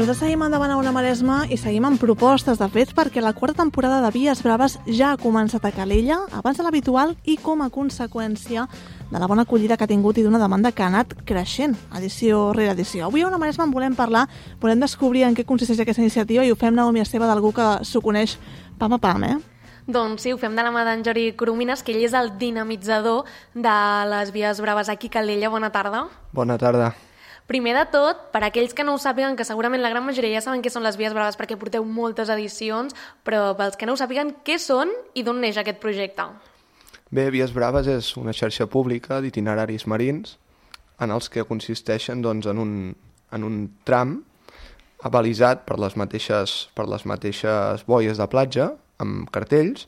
nosaltres seguim endavant a Ona Maresma i seguim amb propostes de fets perquè la quarta temporada de Vies Braves ja ha començat a Calella, abans de l'habitual i com a conseqüència de la bona acollida que ha tingut i d'una demanda que ha anat creixent, edició rere edició. Avui a Ona Maresma en volem parlar, volem descobrir en què consisteix aquesta iniciativa i ho fem, Naomi Esteve, d'algú que s'ho coneix pam a pam, Doncs sí, ho fem de la mà d'en Jordi Coromines, que ell és el dinamitzador de les Vies Braves aquí a Calella. Bona tarda. Bona tarda. Primer de tot, per aquells que no ho sàpiguen, que segurament la gran majoria ja saben què són les Vies Braves perquè porteu moltes edicions, però pels que no ho sàpiguen, què són i d'on neix aquest projecte? Bé, Vies Braves és una xarxa pública d'itineraris marins en els que consisteixen doncs, en un tram abalisat per les mateixes boies de platja, amb cartells,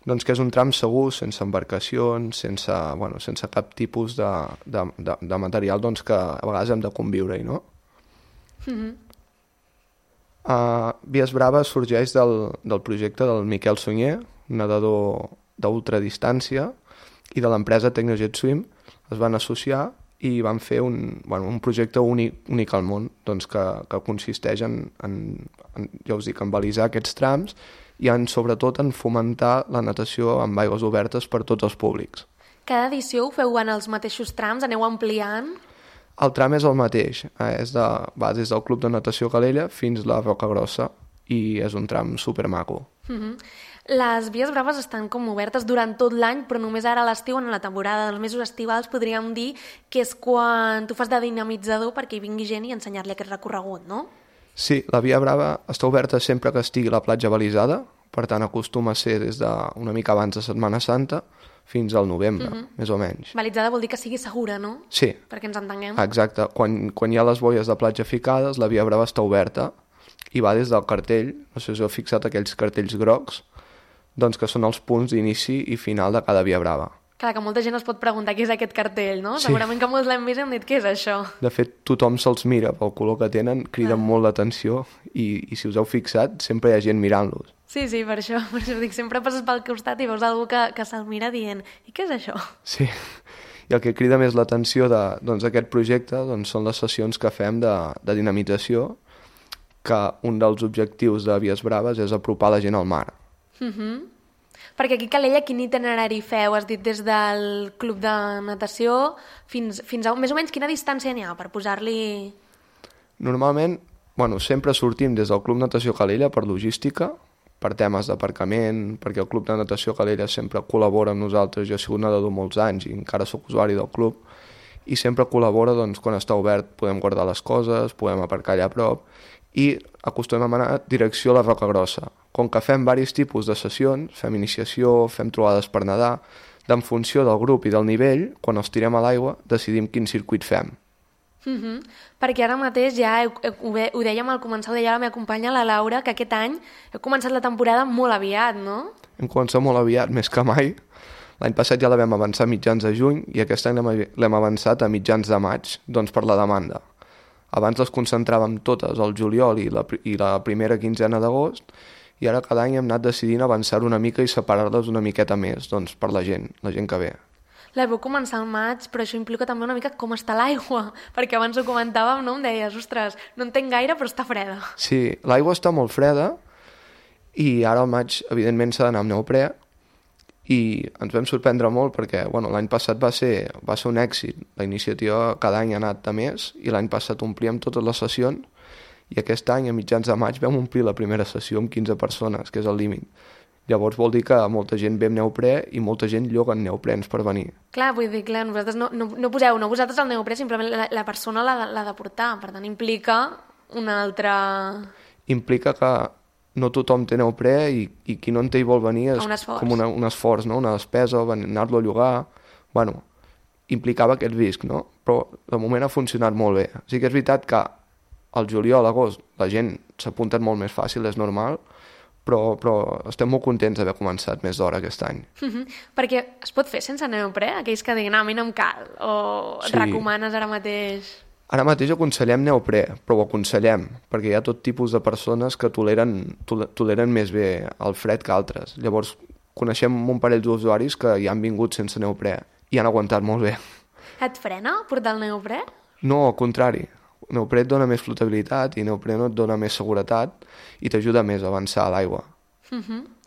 doncs que és un tram segur, sense embarcacions, sense cap tipus de material doncs, que a vegades hem de conviure-hi, no? Vies Braves sorgeix del projecte del Miquel Sunyer, nedador d'ultradistància, i de l'empresa Tecnojet Swim. Es van associar i van fer un projecte únic al món, doncs, que consisteix ja us dic, en balisar aquests trams i sobretot en fomentar la natació amb aigües obertes per tots els públics. Cada edició ho feu en els mateixos trams? Aneu ampliant? El tram és el mateix, va des del Club de Natació Calella fins a la Rocagrossa i és un tram supermaco. Les Vies Braves estan com obertes durant tot l'any, però només ara a l'estiu, en la temporada dels mesos estivals, podríem dir que és quan tu fas de dinamitzador perquè hi vingui gent i ensenyar-li aquest recorregut, no? Sí, la Via Brava està oberta sempre que estigui la platja balisada, per tant acostuma a ser des d'una mica abans de Setmana Santa fins al novembre, més o menys. Balitzada vol dir que sigui segura, no? Sí. Perquè ens entenguem. Exacte. Quan hi ha les boies de platja ficades, la Via Brava està oberta i va des del cartell, no sé si us heu fixat aquells cartells grocs, doncs que són els punts d'inici i final de cada Via Brava. Clar, que molta gent es pot preguntar què és aquest cartell, no? Sí. Segurament que molts l'hem vist i hem dit què és això. De fet, tothom se'ls mira pel color que tenen, criden molt l'atenció i si us heu fixat, sempre hi ha gent mirant-los. Sí, per això dic, sempre passes pel costat i veus algú que se'l mira dient i què és això? Sí, i el que crida més l'atenció d'aquest projecte són les sessions que fem de dinamització, que un dels objectius de Vies Braves és apropar la gent al mar. Perquè aquí a Calella quin itinerari feu? Has dit des del club de natació fins a més o menys quina distància n'hi ha per posar-li... Normalment, sempre sortim des del Club Natació Calella per logística, per temes d'aparcament, perquè el Club de Natació Calella sempre col·labora amb nosaltres. Jo he sigut nedador molts anys i encara sóc usuari del club, i sempre col·labora quan està obert, podem guardar les coses, podem aparcar allà a prop, i acostumem a anar direcció a la Rocagrossa. Com que fem diversos tipus de sessions, fem iniciació, fem trobades per nedar, en funció del grup i del nivell, quan els tirem a l'aigua, decidim quin circuit fem. Perquè ara mateix ja ho dèiem al començar, ho deia la meva companya, la Laura, que aquest any heu començat la temporada molt aviat, no? Hem començat molt aviat, més que mai. L'any passat ja la vam avançar a mitjans de juny i aquest any l'hem avançat a mitjans de maig, doncs per la demanda. Abans les concentràvem totes al juliol i la primera quinzena d'agost, i ara cada any hem anat decidint avançar una mica i separar-les una miqueta més, doncs per la gent que ve. La vau començar al maig, però això implica també una mica com està l'aigua, perquè abans ho comentàvem, no? Em deies, ostres, no entenc gaire, però està freda. Sí, l'aigua està molt freda i ara al maig, evidentment, s'ha d'anar amb neoprè, i ens vam sorprendre molt perquè l'any passat va ser un èxit. La iniciativa cada any ha anat a més i l'any passat omplíem totes les sessions i aquest any, a mitjans de maig, vam omplir la primera sessió amb 15 persones, que és el límit. Llavors vol dir que molta gent ve amb neoprè i molta gent lloguen neoprens per venir. Clar, vull dir, vosaltres no poseu vosaltres el neoprè, simplement la persona l'ha de portar, per tant implica una altra... Implica que no tothom té neoprè i qui no en té i vol venir és com un esforç, no? Una despesa, anar-lo a llogar... implicava aquest risc, no? Però de moment ha funcionat molt bé. Sí que és veritat que al juliol, agost, la gent s'ha apuntat molt més fàcil, és normal, però estem molt contents d'haver començat més d'hora aquest any. Perquè es pot fer sense neoprè? Aquells que diguin, a mi no em cal, o et recomanes ara mateix... Ara mateix aconsellem neoprè, però ho aconsellem, perquè hi ha tot tipus de persones que toleren més bé el fred que altres. Llavors, coneixem un parell d'usuaris que hi han vingut sense neoprè i han aguantat molt bé. Et frena portar el neoprè? No, al contrari. Neoprè et dona més flotabilitat i neoprè no et dona més seguretat i t'ajuda més a avançar a l'aigua.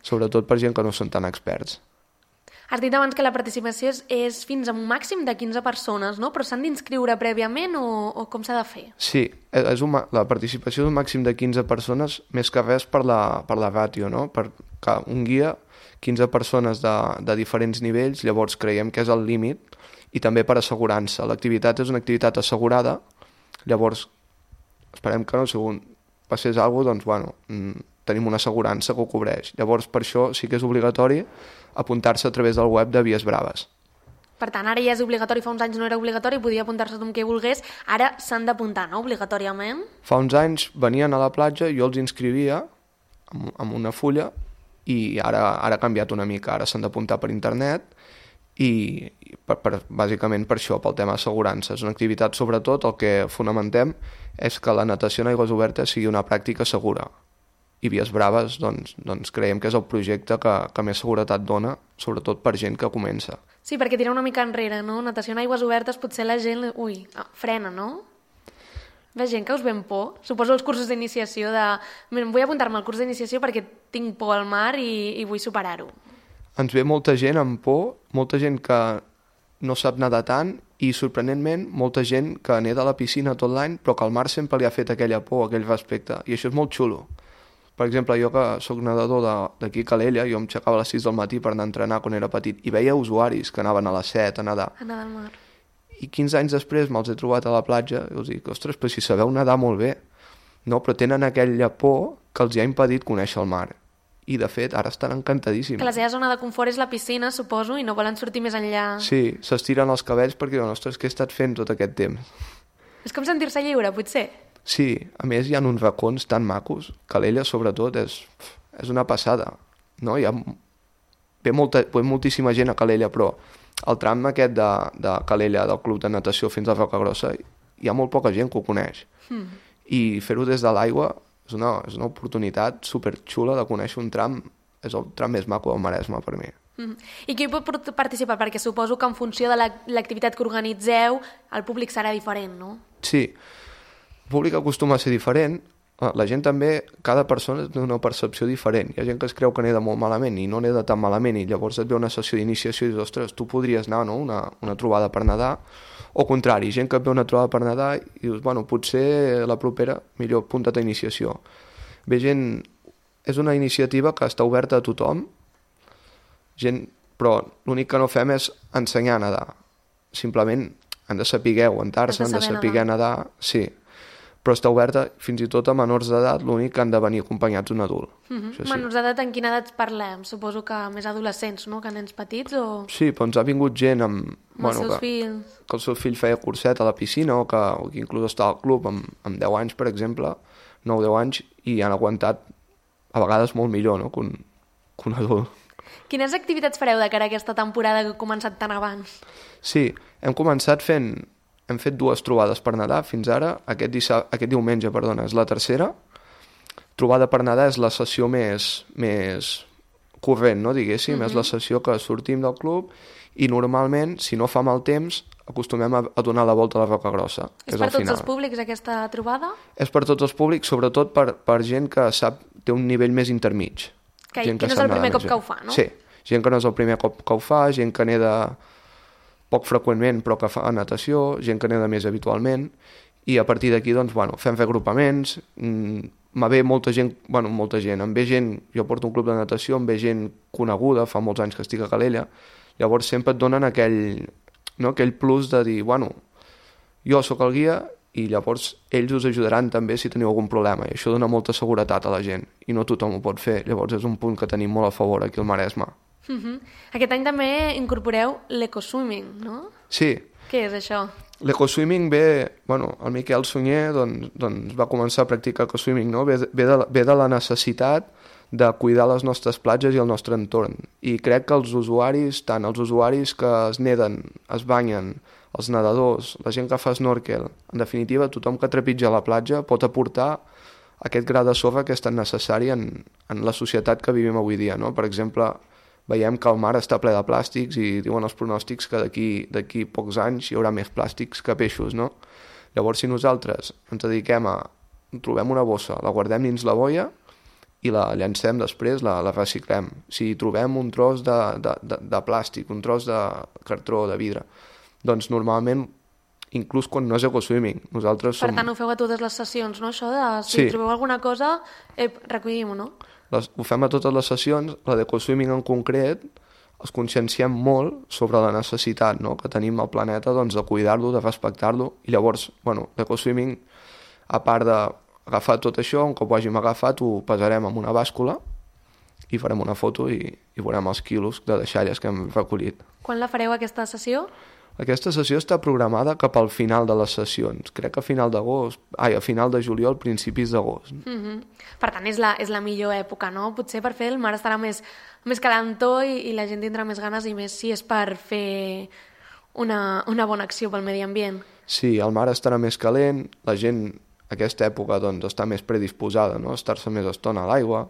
Sobretot per gent que no són tan experts. Has dit abans que la participació és fins a un màxim de 15 persones, no? Però s'han d'inscriure prèviament o com s'ha de fer? Sí, la participació d'un màxim de 15 persones, més que res per la ràtio, no? Perquè un guia, 15 persones de diferents nivells, llavors creiem que és el límit, i també per assegurança. L'activitat és una activitat assegurada, llavors esperem que no, si passés alguna cosa, doncs, tenim una assegurança que ho cobreix. Llavors, per això sí que és obligatori apuntar-se a través del web de Vies Braves. Per tant, ara ja és obligatori, fa uns anys no era obligatori, podia apuntar-se tothom que volgués, ara s'han d'apuntar, no?, obligatòriament. Fa uns anys venien a la platja, jo els inscrivia amb una fulla i ara ha canviat una mica, ara s'han d'apuntar per internet i bàsicament per això, pel tema assegurança. És una activitat, sobretot, el que fonamentem és que la natació en aigües obertes sigui una pràctica segura. I Vies Braves, doncs creiem que és el projecte que més seguretat dona, sobretot per gent que comença. Sí, perquè tira una mica enrere, no? Natació en aigües obertes, potser la gent, frena, no? Ve gent que us ven por. Suposo els cursos d'iniciació vull apuntar-me al curs d'iniciació perquè tinc por al mar i vull superar-ho. Ens ve molta gent amb por, molta gent que no sap nedar tant i, sorprenentment, molta gent que neda a la piscina tot l'any però que al mar sempre li ha fet aquella por, aquell respecte, i això és molt xulo. Per exemple, jo que sóc nedador d'aquí a Calella, jo em aixecava a les 6 del matí per anar a entrenar quan era petit i veia usuaris que anaven a les 7 a nedar. A nedar al mar. I 15 anys després me'ls he trobat a la platja i els dic, ostres, però si sabeu nedar molt bé, no? Però tenen aquella por que els hi ha impedit conèixer el mar. I, de fet, ara estan encantadíssims. Que la seva zona de confort és la piscina, suposo, i no volen sortir més enllà. Sí, s'estiren els cabells perquè diuen, ostres, què he estat fent tot aquest temps? És com sentir-se lliure, potser? Sí, a més hi ha uns racons tan macos. Calella, sobretot, és una passada. No? Ve moltíssima gent a Calella, però el tram aquest de Calella, del club de natació fins a Rocagrossa, hi ha molt poca gent que ho coneix. I fer-ho des de l'aigua és una oportunitat superxula de conèixer un tram. És el tram més maco del Maresme, per mi. I qui pot participar? Perquè suposo que en funció de l'activitat que organitzeu, el públic serà diferent, no? Sí, el públic acostuma a ser diferent. La gent també, cada persona té una percepció diferent. Hi ha gent que es creu que neda molt malament i no neda tan malament i llavors et ve una sessió d'iniciació i dius, ostres, tu podries anar, no?, una trobada per nedar. O contrari, gent que et ve una trobada per nedar i dius, bueno, potser la propera millor apunta't a iniciació. Ve gent... És una iniciativa que està oberta a tothom, però l'únic que no fem és ensenyar a nedar. Simplement han de saber aguantar-se, han de saber nedar, sí. Però està oberta fins i tot a menors d'edat, l'únic que han de venir acompanyats d'un adult. Sí. Menors d'edat, en quina edat parlem? Suposo que més adolescents, no?, que nens petits o... Sí, però ens ha vingut gent amb els seus fills. Que el seu fill feia curset a la piscina o que inclús està al club amb 10 anys, per exemple, 9-10 anys, i han aguantat a vegades molt millor, no?, que un adult. Quines activitats fareu de cara a aquesta temporada que ha començat tan abans? Sí, hem fet 2 trobades per nedar fins ara. Aquest diumenge, és la tercera. Trobada per nedar és la sessió més corrent, no, diguéssim. És la sessió que sortim del club i normalment, si no fa mal temps, acostumem a donar la volta a la Rocagrossa. És per tots els públics aquesta trobada? És per tots els públics, sobretot per gent que té un nivell més intermig. Que no és el primer cop que ho fa, no? Sí, gent que no és el primer cop que ho fa, gent que neda poc freqüentment però que fa natació, gent que neda més habitualment, i a partir d'aquí doncs, fem reagrupaments, em ve molta gent, em ve gent, jo porto un club de natació, em ve gent coneguda, fa molts anys que estic a Calella, llavors sempre et donen aquell plus de dir, jo sóc el guia i llavors ells us ajudaran també si teniu algun problema, i això dona molta seguretat a la gent, i no tothom ho pot fer, llavors és un punt que tenim molt a favor aquí al Maresme. Aquest any també incorporeu l'ecoswimming, no? Sí. Què és això? L'ecoswimming el Miquel Sunyer doncs va començar a practicar ecoswimming, no? Ve de la necessitat de cuidar les nostres platges i el nostre entorn. I crec que els usuaris, tant els usuaris que es neden, es banyen, els nedadors, la gent que fa snorkel, en definitiva, tothom que trepitja la platja pot aportar aquest gra de sorra que és tan necessari en la societat que vivim avui dia, no? Per exemple, veiem que el mar està ple de plàstics i diuen els pronòstics que d'aquí pocs anys hi haurà més plàstics que peixos, no? Llavors, si nosaltres ens dediquem a... trobem una bossa, la guardem dins la boia i la llancem després, la reciclem. Si trobem un tros de plàstic, un tros de cartró, de vidre, doncs normalment, inclús quan no és ecoswimming, nosaltres som... Per tant, ho feu a totes les sessions, no? Això de, si Sí. trobeu alguna cosa, recollim-ho, no? Ho fem a totes les sessions, la d'ecoswimming en concret, els conscienciem molt sobre la necessitat, no?, que tenim al planeta, doncs, de cuidar-lo, de respectar-lo, i llavors, bueno, l'ecoswimming, a part d'agafar tot això, un cop ho hàgim agafat, ho pesarem amb una bàscula i farem una foto i veurem els quilos de deixalles que hem recollit. Quan la fareu, aquesta sessió? Aquesta sessió està programada cap al final de les sessions. Crec que a final de juliol, principis d'agost. Per tant, és la millor època, no? Potser per fer el mar estarà més calentó i la gent tindrà més ganes, i més si és per fer una bona acció pel medi ambient. Sí, el mar estarà més calent, la gent aquesta època doncs, està més predisposada, no?, a estar-se més estona a l'aigua.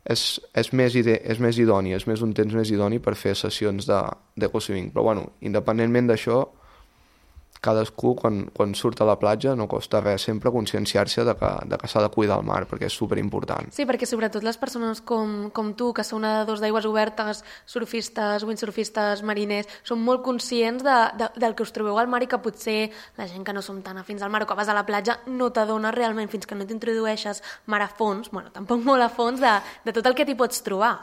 És més idoni, és un temps més idoni per fer sessions d'ecoswimming. Però, bueno, independentment d'això, cadascú, quan surt a la platja, no costa res sempre conscienciar-se de que s'ha de cuidar el mar, perquè és superimportant. Sí, perquè sobretot les persones com tu, que sou nedadors d'aigües obertes, surfistes, windsurfistes, mariners, són molt conscients del que us trobeu al mar, i que potser la gent que no som tan afins al mar o que vas a la platja no t'adones realment, fins que no t'introdueixes mar a fons, bueno, tampoc molt a fons, de tot el que t'hi pots trobar.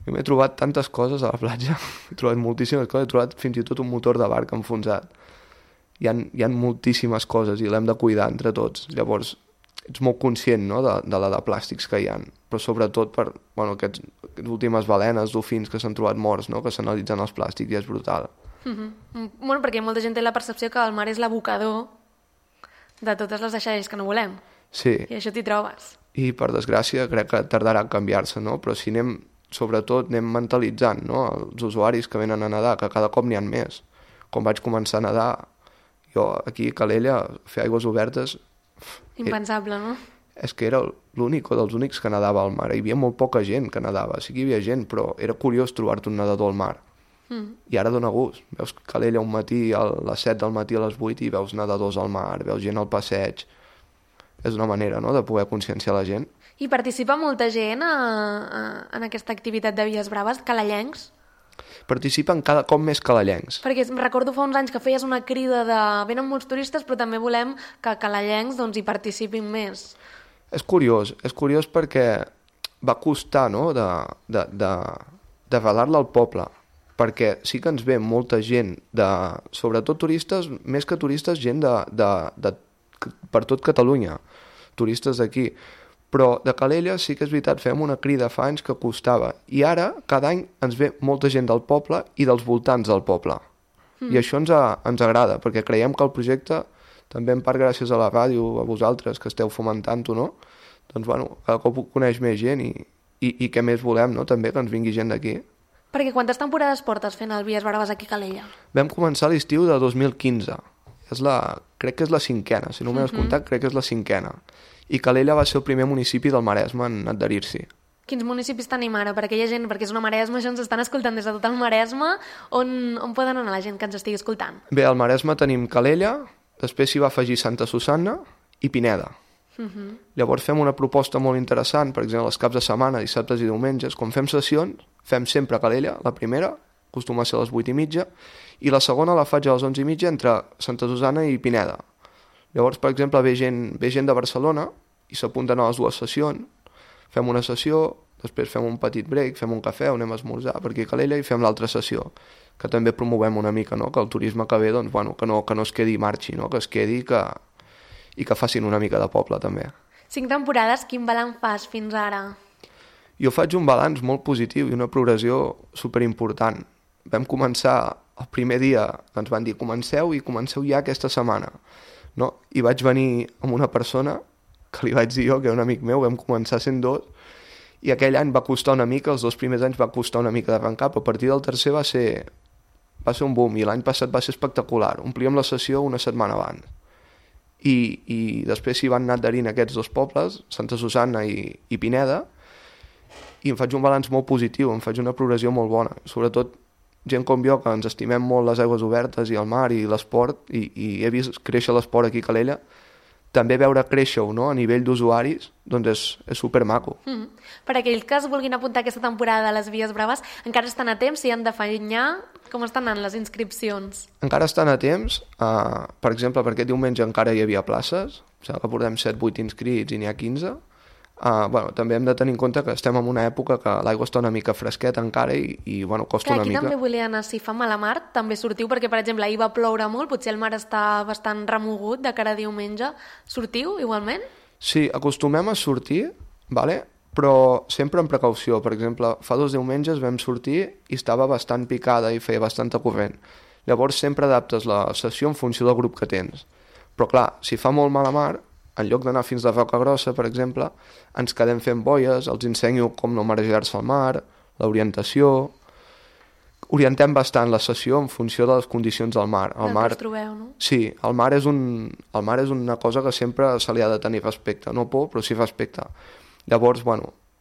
Jo m'he trobat tantes coses a la platja, he trobat moltíssimes coses, he trobat fins i tot un motor de barca enfonsat. Hi ha moltíssimes coses i l'hem de cuidar entre tots. Llavors, ets molt conscient, no?, de la de plàstics que hi ha, però sobretot per aquestes últimes balenes, dofins que s'han trobat morts, no?, que s'analitzen els plàstics, i és brutal. Bueno, perquè molta gent té la percepció que el mar és l'abocador de totes les deixalles que no volem. Sí. I això t'hi trobes. I, per desgràcia, crec que tardarà a canviar-se, no?, però si anem mentalitzant, no?, els usuaris que venen a nedar, que cada cop n'hi ha més. Quan vaig començar a nedar, jo aquí a Calella, fer aigües obertes... Impensable, no? És que era l'únic o dels únics que nedava al mar. Hi havia molt poca gent que nedava. Sí que hi havia gent, però era curiós trobar-te un nedador al mar. I ara dona gust. Veus Calella un matí, a les 7 del matí, a les 8, i veus nedadors al mar, veus gent al passeig. És una manera, no?, de poder conscienciar la gent. I participa molta gent en aquesta activitat de Vies Braves, calellencs? Participen cada cop més calellencs. Perquè recordo fa uns anys que feies una crida de venen molts turistes, però també volem que calellencs hi participin més. És curiós perquè va costar, no?, de relar-la al poble, perquè sí que ens ve molta gent, sobretot turistes, més que turistes, gent per tot Catalunya, turistes d'aquí. Però de Calella sí que és veritat, fem una crida fa anys que costava, i ara cada any ens ve molta gent del poble i dels voltants del poble. I això ens agrada, perquè creiem que el projecte, també en part gràcies a la ràdio, a vosaltres que esteu fomentant-ho, no?, doncs cada cop ho coneix més gent, i què més volem, no?, també que ens vingui gent d'aquí. Perquè quantes temporades portes fent el Vies Braves aquí a Calella? Vam començar l'estiu de 2015. Crec que és la 5a, si no m'he descomptat, crec que és la 5a. I Calella va ser el primer municipi del Maresme en adherir-s'hi. Quins municipis tenim ara? Per aquella gent, perquè és una Maresme, això ens estan escoltant des de tot el Maresme. On poden anar la gent que ens estigui escoltant? Bé, al Maresme tenim Calella, després s'hi va afegir Santa Susanna i Pineda. Llavors fem una proposta molt interessant, per exemple, els caps de setmana, dissabtes i diumenges, quan fem sessions, fem sempre Calella, la primera, acostuma a ser a les 8:30, i la segona la faig a les 11:30 entre Santa Susanna i Pineda. Llavors, per exemple, ve gent de Barcelona i s'apunten a les dues sessions, fem una sessió, després fem un petit break, fem un cafè, anem a esmorzar per aquí a Calella i fem l'altra sessió, que també promovem una mica, no?, que el turisme que ve, doncs, que no es quedi i marxi, no?, que es quedi i que facin una mica de poble, també. 5 temporades, quin balanç fas fins ara? Jo faig un balanç molt positiu i una progressió superimportant. Vam començar el primer dia que ens van dir comenceu ja aquesta setmana. No? I vaig venir amb una persona que li vaig dir jo, que era un amic meu, vam començar sent 2, i aquell any va costar una mica, els 2 primers anys va costar una mica d'arrencar, però a partir del tercer va ser un boom, i l'any passat va ser espectacular. Omplíem la sessió una setmana abans. I després s'hi van anar adherint aquests 2 pobles, Santa Susanna i Pineda, i em faig un balanç molt positiu, em faig una progressió molt bona. Sobretot gent com jo, que ens estimem molt les aigües obertes i el mar i l'esport, i he vist créixer l'esport aquí a Calella, també veure créixer-ho, no?, a nivell d'usuaris, doncs és supermaco. Per aquells que es vulguin apuntar aquesta temporada a les Vies Braves, encara estan a temps, si han d'afanyar, com estan anant les inscripcions? Encara estan a temps, per exemple, per aquest diumenge encara hi havia places, o sigui que portem 7-8 inscrits i n'hi ha 15. També hem de tenir en compte que estem en una època que l'aigua està una mica fresqueta encara i costa una mica. Aquí també volia anar, si fa mal a mar, també sortiu, perquè per exemple ahir va ploure molt, potser el mar està bastant remogut de cara a diumenge. Sortiu igualment? Sí, acostumem a sortir, però sempre amb precaució. Per exemple, fa 2 diumenges vam sortir i estava bastant picada i feia bastanta corrent. Llavors sempre adaptes la sessió en funció del grup que tens. Però clar, si fa molt mala mar, en lloc d'anar fins a Roca Grossa, per exemple, ens quedem fent boies, els ensenyo com no marejar-se al mar, l'orientació. Orientem bastant la sessió en funció de les condicions del mar. El mar, que us trobeu, no? Sí, el mar és una cosa que sempre se li ha de tenir respecte. No por, però sí respecte. Llavors,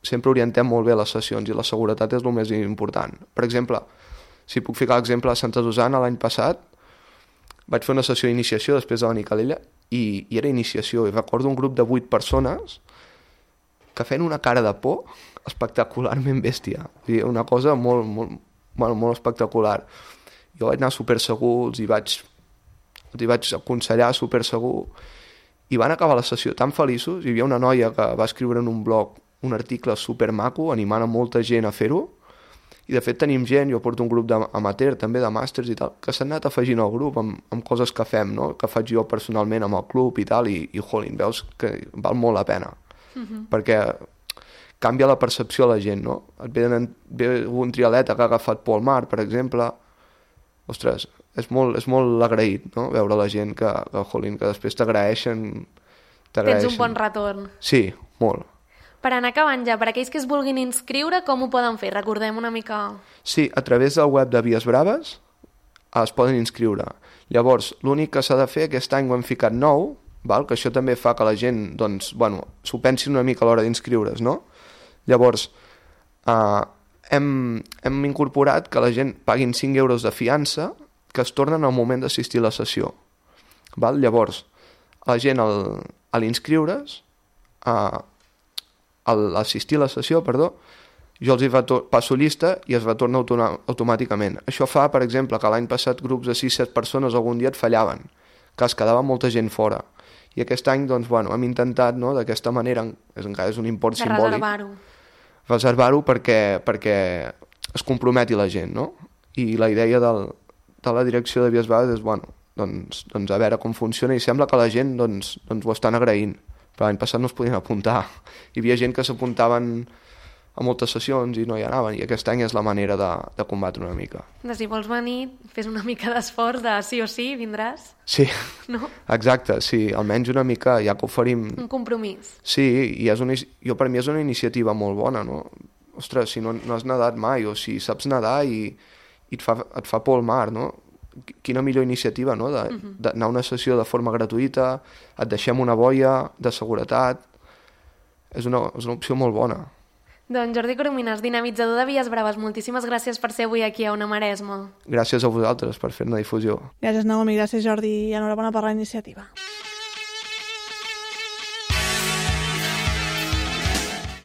sempre orientem molt bé les sessions i la seguretat és el més important. Per exemple, si puc ficar l'exemple de Santa Susana, l'any passat vaig fer una sessió d'iniciació després de venir a Calella i era iniciació, i recordo un grup de 8 persones que feien una cara de por espectacularment bèstia. Una cosa molt espectacular. Jo vaig anar supersegur, els hi vaig aconsellar supersegur, i van acabar la sessió tan feliços. Hi havia una noia que va escriure en un blog un article supermaco animant a molta gent a fer-ho, i de fet tenim gent, jo porto un grup d'amateur també, de màsters i tal, que s'han anat afegint al grup amb coses que fem, no?, que faig jo personalment amb el club i tal, i jolín, veus que val molt la pena, perquè canvia la percepció a la gent, no? Et ve un trialeta que ha agafat por al mar, per exemple, ostres, és molt agraït, no?, veure la gent que després t'agraeixen. Tens un bon retorn. Sí, molt. Per anar acabant ja, per aquells que es vulguin inscriure, com ho poden fer? Recordem una mica... Sí, a través del web de Vies Braves es poden inscriure. Llavors, l'únic que s'ha de fer, aquest any ho hem ficat nou, que això també fa que la gent s'ho pensi una mica a l'hora d'inscriure's, no? Llavors, hem incorporat que la gent paguin 5 euros de fiança que es tornen al moment d'assistir a la sessió. Llavors, la gent a l'inscriure's, a l'assistir a la sessió, jo els passo llista i es retorna automàticament. Això fa, per exemple, que l'any passat grups de 6-7 persones algun dia et fallaven, que es quedava molta gent fora. I aquest any, hem intentat, no?, d'aquesta manera, encara és un import simbòlic, reservar-ho perquè es comprometi la gent, no? I la idea de la direcció de Vies Braves és, a veure com funciona, i sembla que la gent ho estan agraint. Però l'any passat no es podien apuntar. Hi havia gent que s'apuntaven a moltes sessions i no hi anaven, i aquest any és la manera de combatre una mica. Si vols venir, fes una mica d'esforç de sí o sí, vindràs? Sí, no? Exacte, sí, almenys una mica, ja que oferim... Un compromís. Sí, i per mi és una iniciativa molt bona, no? Ostres, si no has nedat mai, o si saps nedar i et fa por el mar, no? Quina millor iniciativa, no?, d'anar a una sessió de forma gratuïta, et deixem una boia de seguretat, és una opció molt bona. Doncs Jordi Corominas, dinamitzador de Vies Braves, moltíssimes gràcies per ser avui aquí a Ona Maresma. Gràcies a vosaltres per fer-ne difusió. Gràcies, Naomi, gràcies, Jordi, i enhorabona per la iniciativa.